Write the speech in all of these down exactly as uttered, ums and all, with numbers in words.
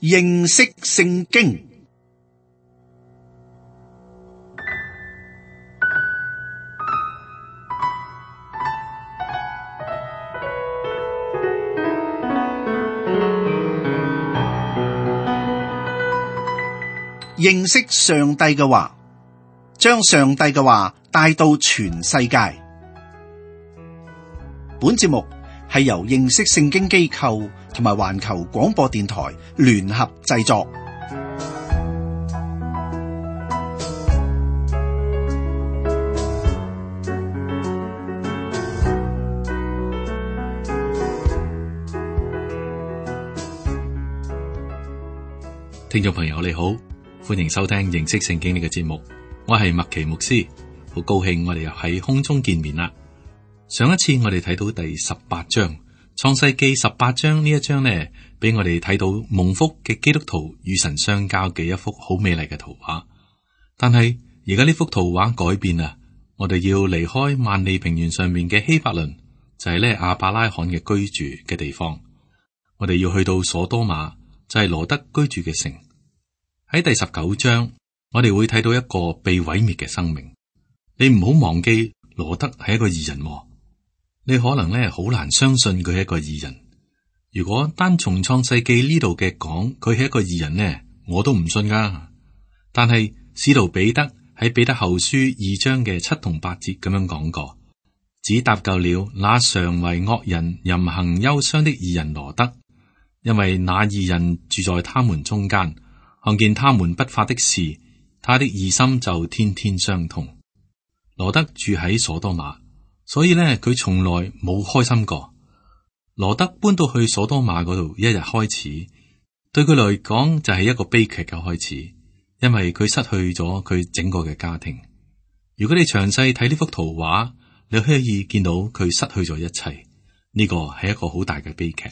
認識聖經。認識上帝嘅話，將上帝嘅話帶到全世界。本節目係由認識聖經機構同埋環球廣播電台聯合製作。聽眾朋友你好，歡迎收聽認識聖經呢個節目，我係麥奇牧師，好高興我哋又喺空中見面啦。上一次我哋睇到第十八章創世記十八章，呢一章呢，俾我哋睇到蒙福嘅基督徒與神相交嘅一幅好美麗嘅圖畫。但係而家呢幅圖畫改變啦，我哋要離開萬里平原上面嘅希伯倫，就係呢亞伯拉罕嘅居住嘅地方，我哋要去到所多瑪，就係羅德居住嘅城。喺第十九章，我哋會睇到一個被毀滅嘅生命。你唔好忘記羅德係一個義人，你可能咧好難相信佢係一個義人。如果單從創世記呢度嘅講，佢係一個義人呢，我都唔信噶。但係使徒彼得喺彼得後書二章嘅七同八節咁樣講過，只搭救了那常為惡人淫行憂傷的義人羅德，因為那義人住在他們中間，看見他們不法的事，他的義心就天天傷痛。羅德住喺所多瑪，所以呢，佢從來冇開心過。羅德搬到去所多瑪嗰度，一日開始對佢嚟講就係一個悲劇嘅開始，因為佢失去咗佢整個嘅家庭。如果你詳細睇呢幅圖畫，你可以見到佢失去咗一切，呢個係一個好大嘅悲劇。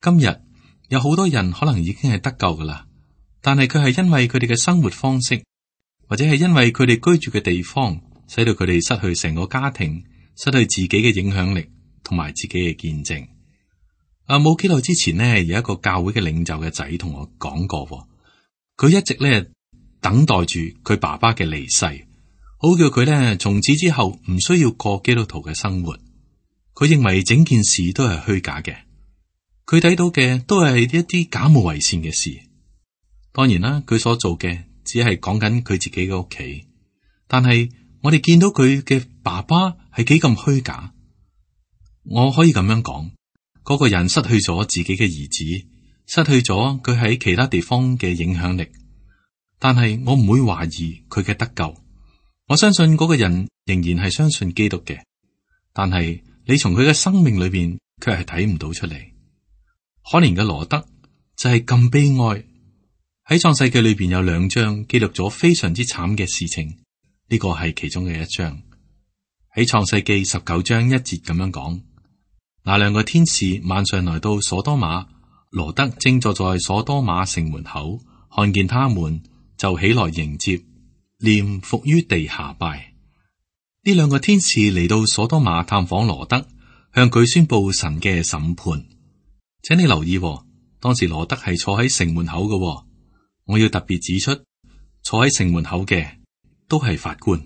今日有好多人可能已經係得救噶啦，但係佢係因為佢哋嘅生活方式，或者係因為佢哋居住嘅地方，使到佢哋失去成個家庭，失去自己嘅影響力同埋自己嘅見證。啊，冇幾耐之前呢，有一個教會嘅領袖嘅仔同我講過，佢一直咧等待住佢爸爸嘅離世，好叫佢咧從此之後唔需要過基督徒嘅生活。佢認為整件事都係虛假嘅，佢睇到嘅都係一啲假冒為善嘅事。當然啦，佢所做嘅只係講緊佢自己嘅屋企，但係我哋見到佢嘅爸爸係幾咁虛假。我可以咁樣講，嗰個人失去咗自己嘅兒子，失去咗佢喺其他地方嘅影響力，但係我唔會懷疑佢嘅得救。我相信嗰個人仍然係相信基督嘅，但係你從佢嘅生命裏邊卻係睇唔到出嚟。可憐嘅羅德就係咁悲哀。喺創世記裏邊有兩章記錄咗非常之慘嘅事情，呢個係其中嘅一章。喺創世記十九章一節咁樣講，那兩個天使晚上來到所多瑪，羅德正坐在所多瑪城門口，看見他們就起來迎接，臉伏於地下拜。呢兩個天使嚟到所多瑪探訪羅德，向佢宣布神嘅審判。請你留意，當時羅德係坐喺城門口嘅。我要特別指出，坐喺城門口嘅都係法官，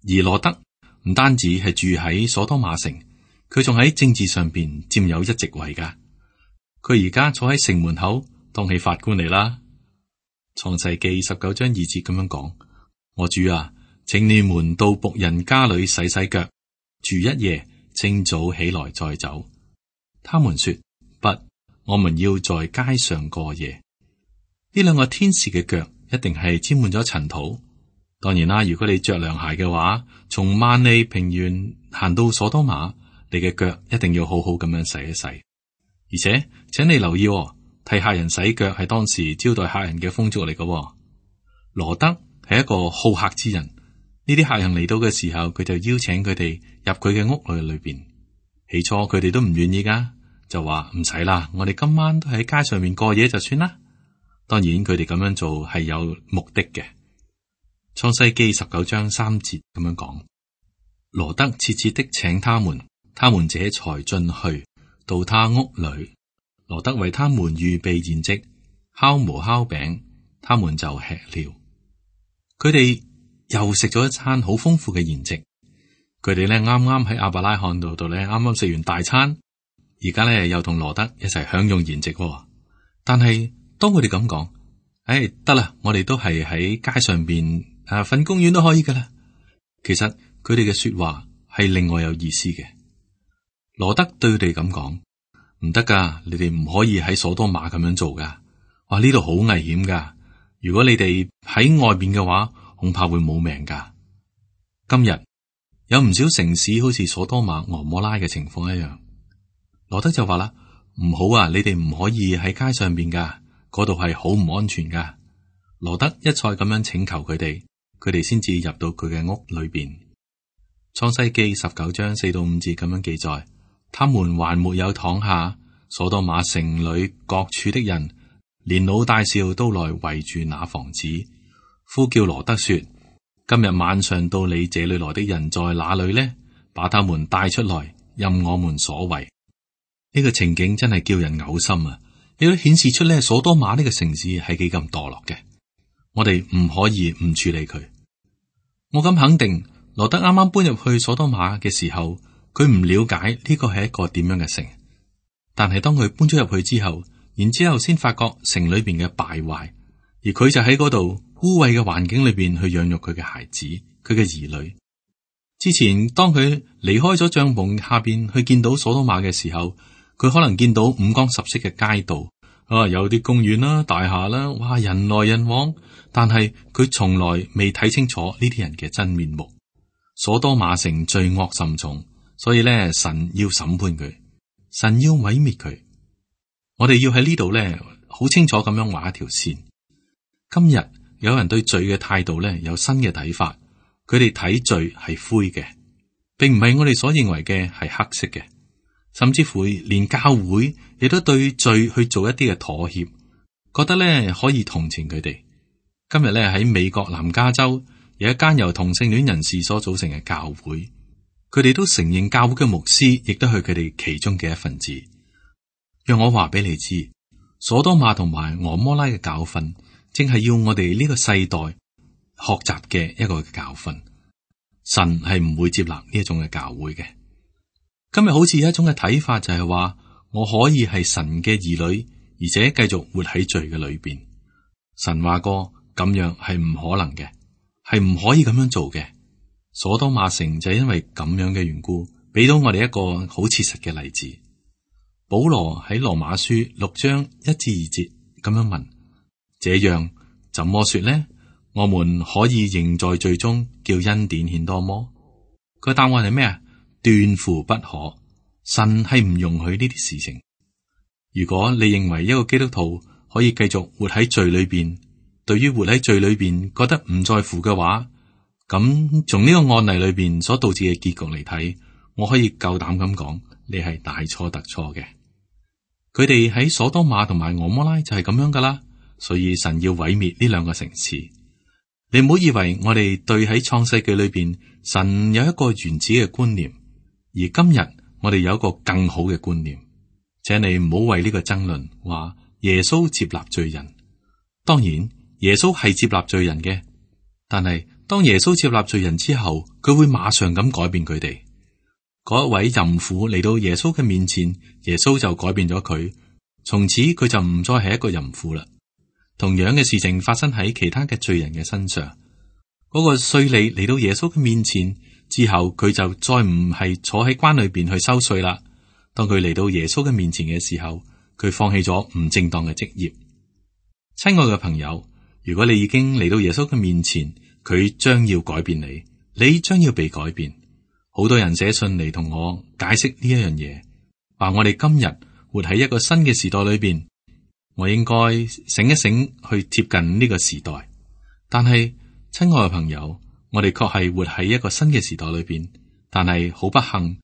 而羅德唔單止係住喺所多瑪城，佢仲喺政治上邊佔有一席位噶。佢而家坐喺城門口當起法官嚟啦。創世記十九章二節咁樣講：我主啊，請你們到僕人家裏洗洗腳，住一夜，清早起來再走。他們說：不，我們要在街上過夜。呢兩個天使嘅腳一定係沾滿咗塵土。當然啦，如果你着涼鞋嘅話，從萬里平原行到所多瑪，你嘅腳一定要好好咁樣洗一洗。而且，請你留意，替客人洗腳係當時招待客人嘅風俗嚟嘅。羅德係一個好客之人，呢啲客人嚟到嘅時候，佢就邀請佢哋入佢嘅屋裏裏邊。起初佢哋都唔願意噶，就話唔使啦，我哋今晚都喺街上面過夜就算啦。當然佢哋咁樣做係有目的嘅。創世記十九章三節咁樣講，羅德切切的請他們，他們這才進去到他屋裏。羅德為他們預備筵席，烤無酵餅，他們就吃了。佢哋又食咗一餐好豐富嘅筵席。佢哋咧啱啱喺亞伯拉罕度度咧，啱啱食完大餐，而家咧又同羅德一齊享用筵席。但係當佢哋咁講，誒得啦，我哋都係喺街上邊啊瞓公園都可以噶啦。其實佢哋嘅說話係另外有意思嘅。羅德對佢哋咁講，唔得噶，你哋唔可以喺所多瑪咁樣做噶。哇，呢度好危險噶，如果你哋喺外邊嘅話，恐怕會冇命噶。今日有唔少城市好似所多瑪、蛾摩拉嘅情況一樣。羅德就話啦，唔好啊，你哋唔可以喺街上邊噶，嗰度係好唔安全噶。羅德一再咁樣請求佢哋，佢哋先至入到佢嘅屋裏邊。創世記十九章四到五節咁樣記載，他們還沒有躺下，所多瑪城裏各處的人，連老帶少都來圍住那房子，呼叫羅德說：今日晚上到你這裏來的人在哪裏呢？把他們帶出來，任我們所為。呢個情景真係叫人嘔心啊！亦都顯示出咧，所多瑪呢個城市係幾咁墮落嘅。我哋唔可以唔處理佢。我咁肯定，羅德啱啱搬入去所多瑪嘅時候，佢唔了解呢個係一個點樣嘅城。但係當佢搬咗入去之後，然之後先發覺城裏邊嘅敗壞，而佢就喺嗰度污穢嘅環境裏邊去養育佢嘅孩子，佢嘅兒女。之前當佢離開咗帳篷下邊去見到所多瑪嘅時候，佢可能見到五光十色嘅街道，啊，有啲公園啦、大廈啦，哇，人來人往。但係佢從來未睇清楚呢啲人嘅真面目。所多瑪城罪惡甚重，所以咧，神要審判佢，神要毀滅佢。我哋要喺呢度咧，好清楚咁樣畫一條線。今日有人對罪嘅態度咧，有新嘅睇法，佢哋睇罪係灰嘅，並唔係我哋所認為嘅係黑色嘅。甚至乎連教會亦都對罪去做一啲嘅妥協，覺得咧可以同情佢哋。今日咧喺美國南加州有一間由同性戀人士所組成嘅教會，佢哋都承認教會嘅牧師亦都係佢哋其中嘅一份子。讓我話俾你知，所多瑪同埋蛾摩拉嘅教訓，正係要我哋呢個世代學習嘅一個教訓。神係唔會接納呢一種嘅教會嘅。今日好似有一種嘅睇法，就係話我可以係神嘅兒女，而且繼續活喺罪嘅裏邊。神話過咁樣係唔可能嘅，係唔可以咁樣做嘅。所多瑪城就係因為咁樣嘅緣故，俾到我哋一個好切實嘅例子。保羅喺羅馬書六章一至二節咁樣問：這樣怎麼說呢？我們可以仍在罪中，叫恩典顯多麼？個答案係咩啊？斷乎不可，神係唔容許呢啲事情。如果你認為一個基督徒可以繼續活喺罪裏邊，對於活喺罪裏邊覺得唔在乎嘅話，咁從呢個案例裏邊所導致嘅結局嚟睇，我可以夠膽咁講，你係大錯特錯嘅。佢哋喺所多瑪同埋蛾摩拉就係咁樣噶啦，所以神要毀滅呢兩個城市。你唔好以為我哋對喺創世記裏邊神有一個原始嘅觀念。而今日我哋有一個更好嘅觀念，請你唔好為呢個爭論話耶穌接納罪人。當然耶穌係接納罪人嘅，但係當耶穌接納罪人之後，佢會馬上咁改變佢哋。嗰一位淫婦嚟到耶穌嘅面前，耶穌就改變咗佢，從此佢就唔再係一個淫婦啦。同樣嘅事情發生喺其他嘅罪人嘅身上。嗰個稅吏嚟到耶穌嘅面前之後，佢就再唔係坐喺關裏邊去收稅啦。當佢嚟到耶穌嘅面前嘅時候，佢放棄咗唔正當嘅職業。親愛嘅朋友，如果你已經嚟到耶穌嘅面前，佢將要改變你，你將要被改變。好多人寫信嚟同我解釋呢一樣嘢，話我哋今日活喺一個新嘅時代裏邊，我應該醒一醒去貼近呢個時代。但係親愛嘅朋友，我哋確係活喺一個新嘅時代裏邊，但係好不幸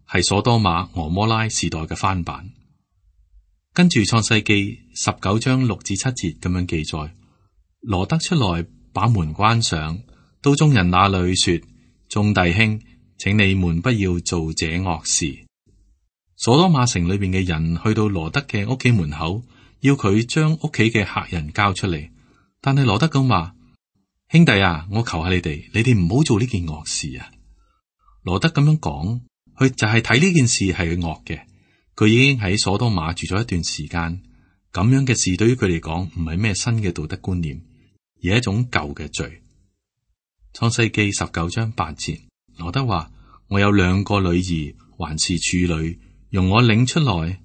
係所多瑪、蛾摩拉時代嘅翻版。跟住創世記十九章六至七節咁樣記載，羅得出來把門關上，到眾人那裏說：眾弟兄，請你們不要做這惡事。所多瑪城裏邊嘅人去到羅得嘅屋企門口，要佢將屋企嘅客人交出嚟。但係羅德咁話：兄弟啊，我求下你哋，你哋唔好做呢件惡事啊！羅德咁樣講，佢就係睇呢件事係惡嘅。佢已經喺所多瑪住咗一段時間，咁樣嘅事對於佢嚟講唔係咩新嘅道德觀念，而係一種舊嘅罪。創世記十九章八節，羅德話：我有兩個女兒，還是處女，容我領出來，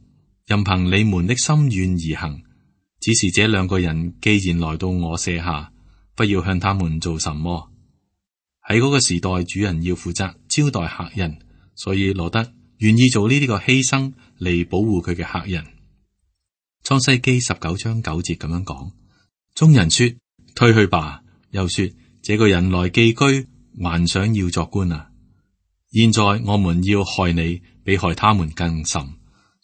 任憑你們的心願而行。只是這兩個人既然來到我舍下，不要向他們做什麼。喺嗰個時代，主人要負責招待客人，所以羅德願意做呢啲個犧牲嚟保護佢嘅客人。創世記十九章九節咁樣講：眾人說，退去吧。又說，這個人來寄居，還想要作官啊！現在我們要害你，比害他們更甚。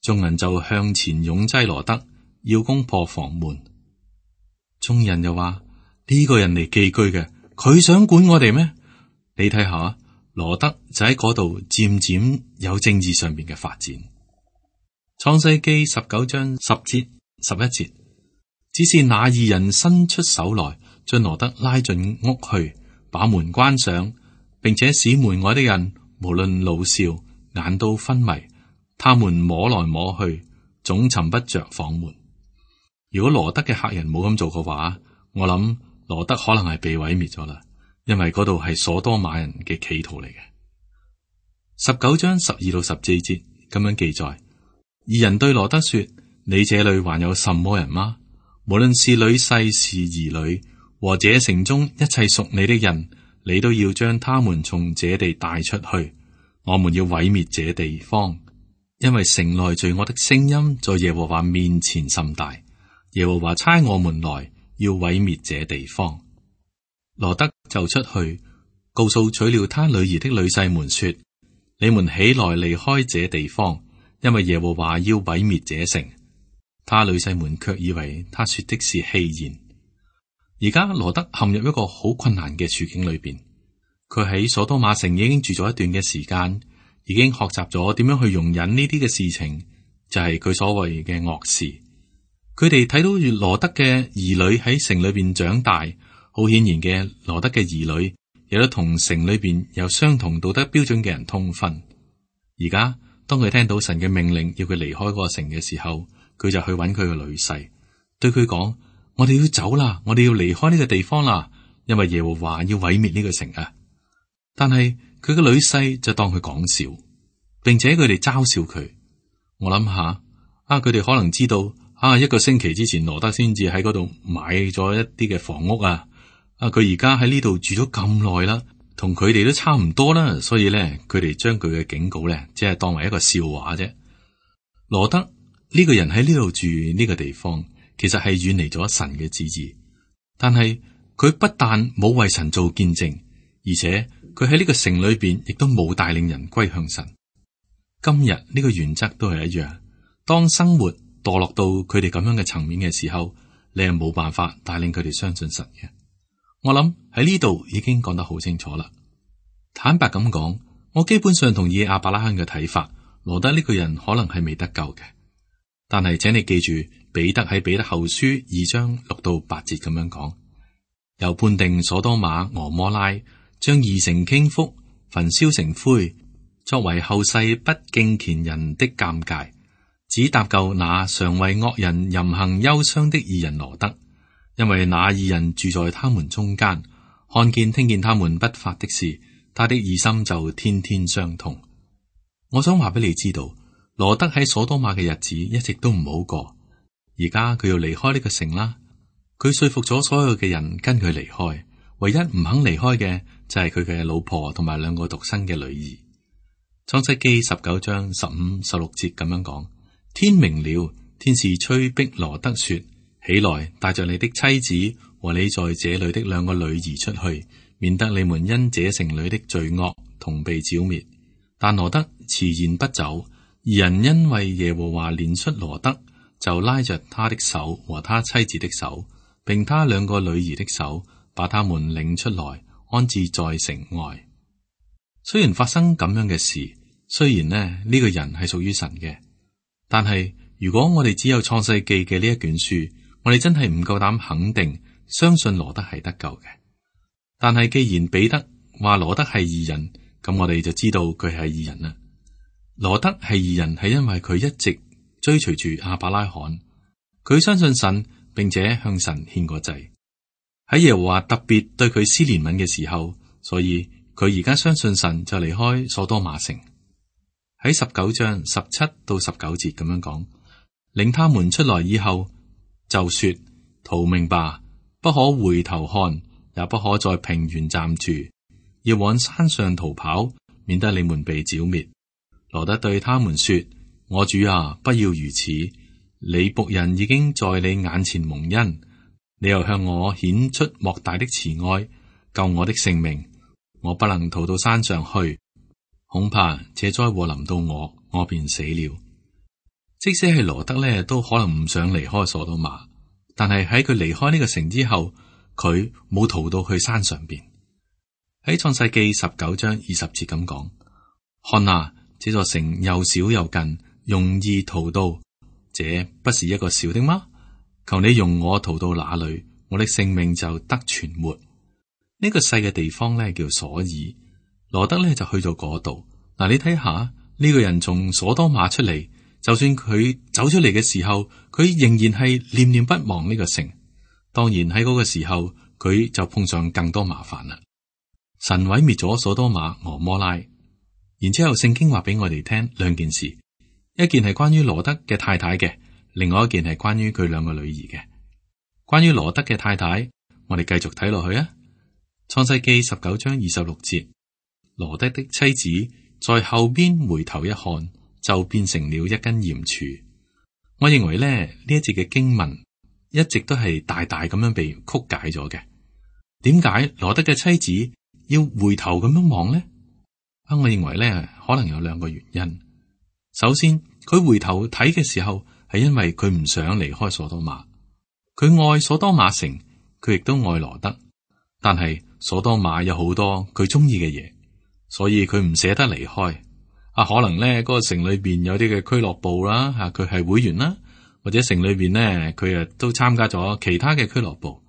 眾人就向前擁擠羅德，要攻破房門。眾人又話：呢個人嚟寄居嘅，佢想管我哋咩？你睇下，羅德就喺嗰度漸漸有政治上邊嘅發展。創世記十九章十節十一節，只是那二人伸出手來，將羅德拉進屋去，把門關上，並且使門外的人無論老少眼都昏迷，他們摸來摸去，總尋不着房門。如果羅德嘅客人冇咁做嘅話，我諗羅德可能係被毀滅咗啦，因為嗰度係所多瑪人嘅企圖嚟嘅。十九章十二到十四節咁樣記載，二人對羅德說：你這裏還有什麼人嗎？無論是女婿是兒女，和這城中一切屬你的人，你都要將他們從這地帶出去。我們要毀滅這地方，因為城內罪惡的聲音在耶和華面前甚大。耶和華差我們來，要毀滅這地方。羅德就出去，告訴娶了他女兒的女婿們說：你們起來離開這地方，因為耶和華要毀滅這城。他女婿們卻以為他說的是戲言。而家羅德陷入一個好困難嘅處境裏邊，佢喺所多瑪城已經住咗一段嘅時間，已經學習咗點樣去容忍呢啲嘅事情，就係佢所謂嘅惡事。佢哋睇到羅德嘅兒女喺城裏邊長大，好顯然嘅羅德嘅兒女亦都同城裏邊有相同道德標準嘅人通婚。而家當佢聽到神嘅命令要佢離開嗰個城嘅時候，佢就去揾佢個女婿，對佢講：我哋要走啦，我哋要離開呢個地方啦，因為耶和華要毀滅呢個城啊！但係佢個女婿就當佢講笑，並且佢哋嘲笑佢。我諗下啊，佢哋可能知道。啊！一個星期之前，羅德先至喺嗰度買咗一啲嘅房屋啊！啊，佢而家喺呢度住咗咁耐啦，同佢哋都差唔多啦，所以咧，佢哋將佢嘅警告咧，只係當為一個笑話啫。羅德呢個人喺呢度住呢個地方，其實係遠離咗神嘅旨意，但係佢不但冇為神做見證，而且佢喺呢個城裏邊亦都冇帶領人歸向神。今日呢個原則都係一樣，當生活墮落到佢哋咁樣嘅層面嘅時候，你係冇辦法帶領佢哋相信神嘅。我諗喺呢度已經講得好清楚啦。坦白咁講，我基本上同意亞伯拉罕嘅睇法，羅德呢個人可能係未得救嘅。但係請你記住，彼得喺彼得後書二章六到八節咁樣講，又判定所多瑪俄摩拉，將二城傾覆，焚燒成灰，作為後世不敬虔人的鑑戒。只搭救那常為惡人淫行憂傷的義人羅德，因為那義人住在他們中間，看見聽見他們不法的事，他的義心就天天傷痛。我想話俾你知道，羅德喺所多瑪嘅日子一直都唔好過，而家佢要離開呢個城啦。佢說服咗所有嘅人跟佢離開，唯一唔肯離開嘅就係佢嘅老婆同埋兩個獨生嘅女兒。創世記十九章十五、十六節咁樣講。天明了，天使催逼羅德說：起來，帶着你的妻子和你在這裏的兩個女兒出去，免得你們因這城裏的罪惡同被剿滅。但羅德遲延不走，二人因為耶和華憐恤羅德，就拉着他的手和他妻子的手，並他兩個女兒的手，把他們領出來，安置在城外。雖然發生咁樣嘅事，雖然呢呢、這個人係屬於神嘅。但係如果我哋只有創世記嘅呢一卷書，我哋真係唔夠膽肯定相信羅德係得救嘅。但係既然彼得話羅德係義人，咁我哋就知道佢係義人啦。羅德係義人係因為佢一直追隨住亞伯拉罕，佢相信神，並且向神獻過祭。喺耶和華特別對佢施憐憫嘅時候，所以佢而家相信神，就離開所多瑪城。喺十九章十七到十九節咁樣講，領他們出來以後，就說：逃命吧，不可回頭看，也不可在平原站住，要往山上逃跑，免得你們被剿滅。羅德對他們說：我主啊，不要如此，你僕人已經在你眼前蒙恩，你又向我顯出莫大的慈愛，救我的性命。我不能逃到山上去，恐怕這災禍臨到我，我便死了。即使係羅德呢，都可能唔想離開所多瑪，但係喺佢離開呢個城之後，佢冇逃到去山上邊。喺創世記十九章二十節咁講：看啊，這座城又小又近，容易逃到，這不是一個小的嗎？求你容我逃到那裏，我的性命就得存活。呢、這個細嘅地方咧叫所爾，羅德咧就去到嗰度。嗱，你睇下呢、這個人從所多瑪出嚟，就算佢走出嚟嘅時候，佢仍然係念念不忘呢個城。當然喺嗰個時候，佢就碰上更多麻煩啦。神毀滅咗所多瑪、俄摩拉，然之後聖經話俾我哋聽兩件事，一件係關於羅德嘅太太嘅，另外一件係關於佢兩個女兒嘅。關於羅德嘅太太，我哋繼續睇落去啊。創世記十九章二十六節，羅德的妻子在後邊回頭一看，就變成了一根鹽柱。我認為咧呢一節嘅經文一直都係大大咁樣被曲解咗嘅。點解羅德嘅妻子要回頭咁樣望呢？啊，我認為咧可能有兩個原因。首先，佢回頭睇嘅時候係因為佢唔想離開所多瑪，佢愛所多瑪城，佢亦都愛羅德，但係所多瑪有好多佢中意嘅嘢，所以佢唔捨得離開。啊，可能咧嗰個城裏邊有啲嘅俱樂部啦，吓佢係會員啦，或者城裏邊咧佢啊都參加咗其他嘅俱樂部。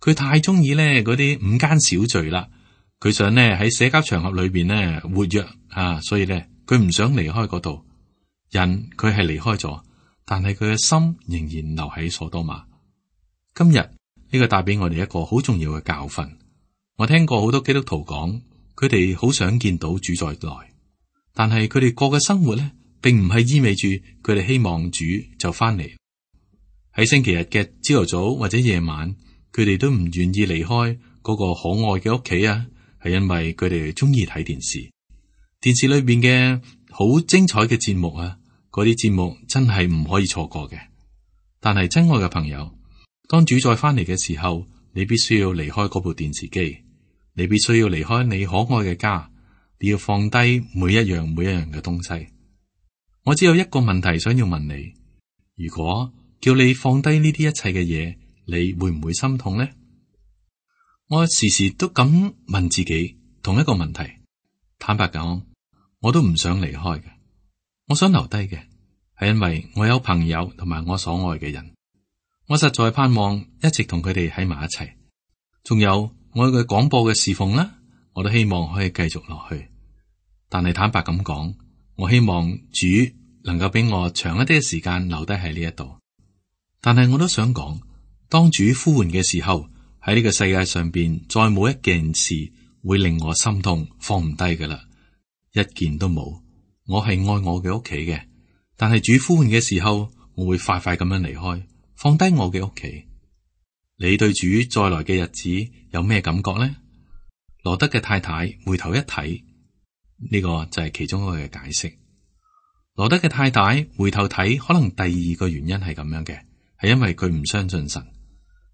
佢太中意咧嗰啲午間小聚啦，佢想咧喺社交場合裏邊咧活躍啊，所以咧佢唔想離開嗰度。人佢係離開咗，但係佢嘅心仍然留喺所多瑪。今日呢個帶俾我哋一個好重要嘅教訓。我聽過好多基督徒講，佢哋好想見到主再來，但係佢哋過嘅生活咧，並唔係意味住佢哋希望主就翻嚟。喺星期日嘅朝頭早或者夜晚，佢哋都唔願意離開嗰個可愛嘅屋企啊，係因為佢哋中意睇電視。電視裏邊嘅好精彩嘅節目啊，嗰啲節目真係唔可以錯過嘅。但係真愛嘅朋友，當主再翻嚟嘅時候，你必須要離開嗰部電視機，你必須要離開你可愛嘅家，你要放低每一樣每一樣嘅東西。我只有一個問題想要問你，如果叫你放低呢啲一切嘅嘢，你會唔會心痛呢？我時時都咁問自己同一個問題，坦白講，我都唔想離開嘅，我想留低嘅，係因為我有朋友同埋我所愛嘅人，我實在盼望一直同佢哋喺埋一齊。仲有我嘅廣播嘅侍奉啦，我都希望可以繼續落去。但係坦白咁講，我希望主能夠俾我長一啲嘅時間留低喺呢一度。但係我都想講，當主呼喚嘅時候，喺呢個世界上邊再冇一件事會令我心痛放唔低㗎喇，一件都冇。我係愛我嘅屋企嘅，但係主呼喚嘅時候，我會快快咁樣離開，放低我嘅屋企。你對主再來嘅日子有咩感覺呢？羅德嘅太太回頭一睇，呢個就係其中一個嘅解釋。羅德嘅太太回頭睇，可能第二個原因係咁樣嘅，係因為佢唔相信神。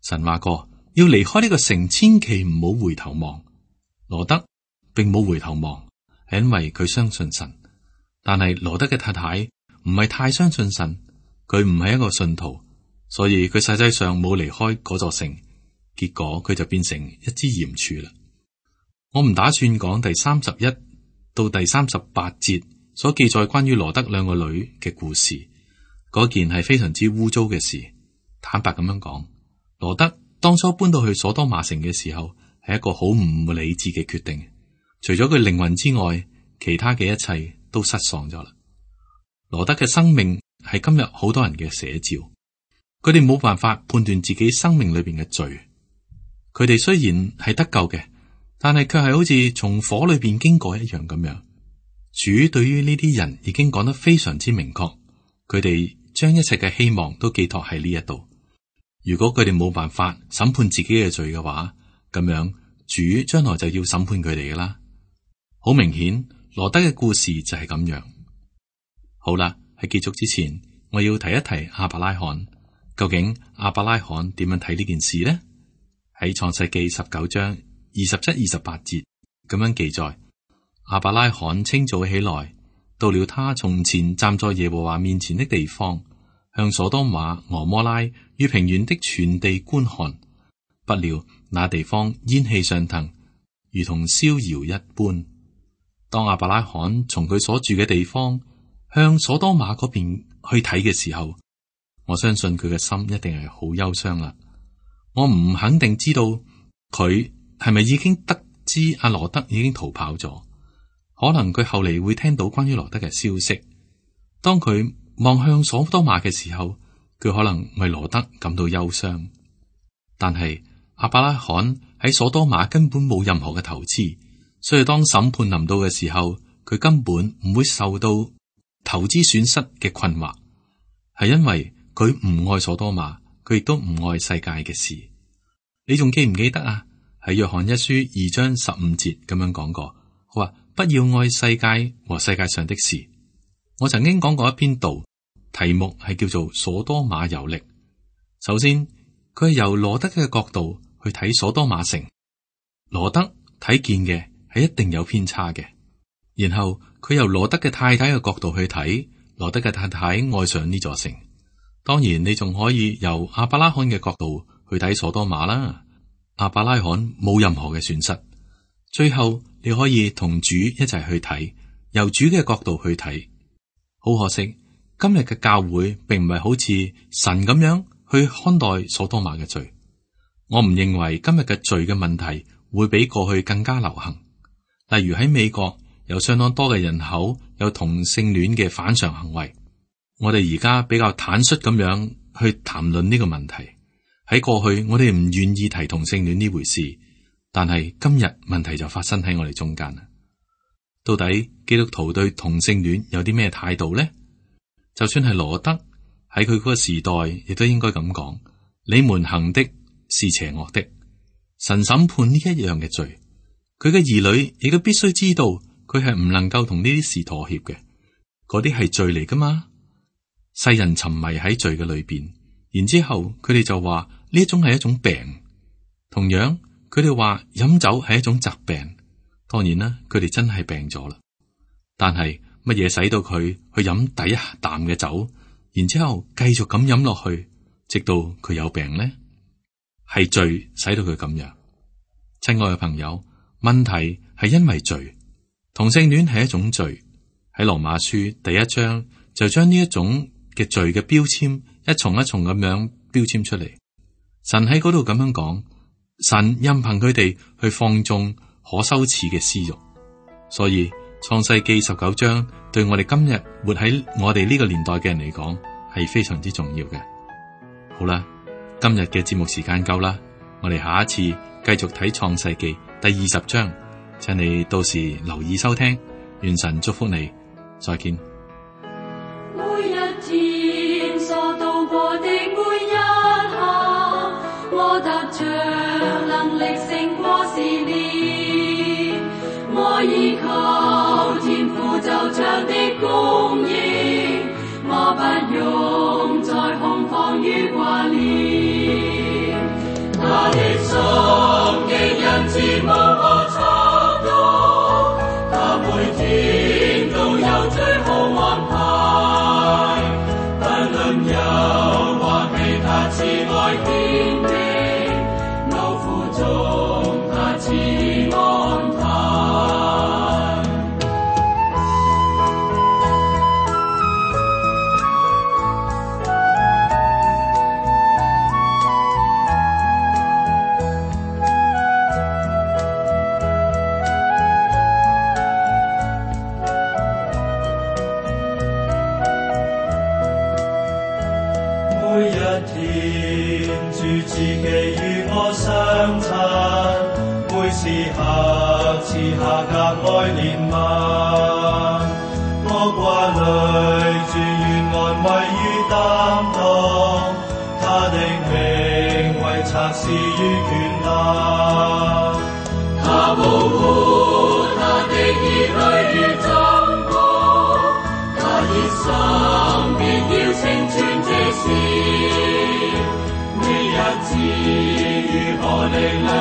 神話過要離開呢個城，千祈唔好回頭望。羅德並冇回頭望，係因為佢相信神。但係羅德嘅太太唔係太相信神，佢唔係一個信徒，所以佢實際上冇離開嗰座城，結果佢就變成一支鹽柱啦。我唔打算講第三十一到第三十八節所記載關於羅德兩個女嘅故事，嗰件係非常之污糟嘅事。坦白咁樣講，羅德當初搬到去所多瑪城嘅時候，係一個好唔理智嘅決定。除咗佢靈魂之外，其他嘅一切都失喪咗啦。羅德嘅生命係今日好多人嘅寫照，佢哋冇辦法判斷自己生命裏邊嘅罪。佢哋雖然係得救嘅，但係卻係好似從火裏邊經過一樣咁樣。主對於呢啲人已經講得非常之明確，佢哋將一切嘅希望都寄託喺呢一度。如果佢哋冇辦法審判自己嘅罪嘅話，咁樣主將來就要審判佢哋噶啦。好明顯，羅德嘅故事就係咁樣。好啦，喺結束之前，我要提一提亞伯拉罕。究竟亞伯拉罕點樣睇呢件事呢？喺創世記十九章二十七、二十八節咁樣記載：亞伯拉罕清早起來，到了他從前站在耶和華面前的地方，向所多瑪、俄摩拉與平原的全地觀看。不料那地方煙氣上騰，如同燒窯一般。當亞伯拉罕從佢所住嘅地方向所多瑪嗰邊去睇嘅時候，我相信佢嘅心一定係好憂傷啦。我唔肯定知道佢係咪已經得知阿羅德已經逃跑咗，可能佢後嚟會聽到關於羅德嘅消息。當佢望向所多瑪嘅時候，佢可能為羅德感到憂傷。但係亞伯拉罕喺所多瑪根本冇任何嘅投資，所以當審判臨到嘅時候，佢根本唔會受到投資損失嘅困惑，係因為佢唔愛所多瑪，佢亦都唔愛世界嘅事。你仲記唔記得啊？喺約翰一書二章十五節咁樣講過，佢話不要愛世界和世界上的事。我曾經講過一篇道，題目係叫做所多瑪遊歷。首先，佢係由羅德嘅角度去睇所多瑪城，羅德睇見嘅係一定有偏差嘅。然後佢由羅德嘅太太嘅角度去睇，羅德嘅太太愛上呢座城。當然，你仲可以由亞伯拉罕嘅角度去睇所多瑪啦。亞伯拉罕冇任何嘅損失。最後你可以同主一齊去睇，由主嘅角度去睇。好可惜，今日嘅教會並唔係好似神咁樣去看待所多瑪嘅罪。我唔認為今日嘅罪嘅問題會比過去更加流行。例如喺美國有相當多嘅人口有同性戀嘅反常行為。我哋而家比較坦率咁樣去談論呢個問題。喺過去我哋唔願意提同性戀呢回事，但係今日問題就發生喺我哋中間啦。到底基督徒對同性戀有啲咩態度呢？就算係羅德喺佢嗰個時代，亦都應該咁講：你們行的是邪惡的，神審判呢一樣嘅罪。佢嘅兒女亦都必須知道，佢係唔能夠同呢啲事妥協嘅。嗰啲係罪嚟噶嘛？世人沉迷喺罪嘅裏邊，然之後佢哋就話呢一種係一種病。同樣，佢哋話飲酒係一種疾病。當然啦，佢哋真係病咗啦。但係乜嘢使到佢去飲第一啖嘅酒，然之後繼續咁飲落去，直到佢有病呢？係罪使到佢咁樣。親愛嘅朋友，問題係因為罪。同性戀係一種罪。喺羅馬書第一章就將呢一種嘅罪嘅標籤一重一重咁樣標籤出嚟。神喺嗰度咁樣講，神任憑佢哋去放縱可羞恥嘅私欲。所以創世記十九章對我哋今日活喺我哋呢個年代嘅人嚟講係非常之重要嘅。好啦，今日嘅節目時間夠啦，我哋下一次繼續睇創世記第二十章，請你到時留意收聽。願神祝福你，再見。每一天所度過的每一刻，我得着能力勝過試煉，我依靠天父就長的供應，我不用再恐慌與掛念，他的心極仁慈無可測度，他每天都有最好安排，不論憂或喜，他慈愛顯明，勞苦中他賜安泰。與我相親，每時刻賜下格外憐憫。我掛慮住願安慰與擔當，他的名為策士與權能。他保護他的兒女如珍寶，他熱心必要成全這事。你日子如何力量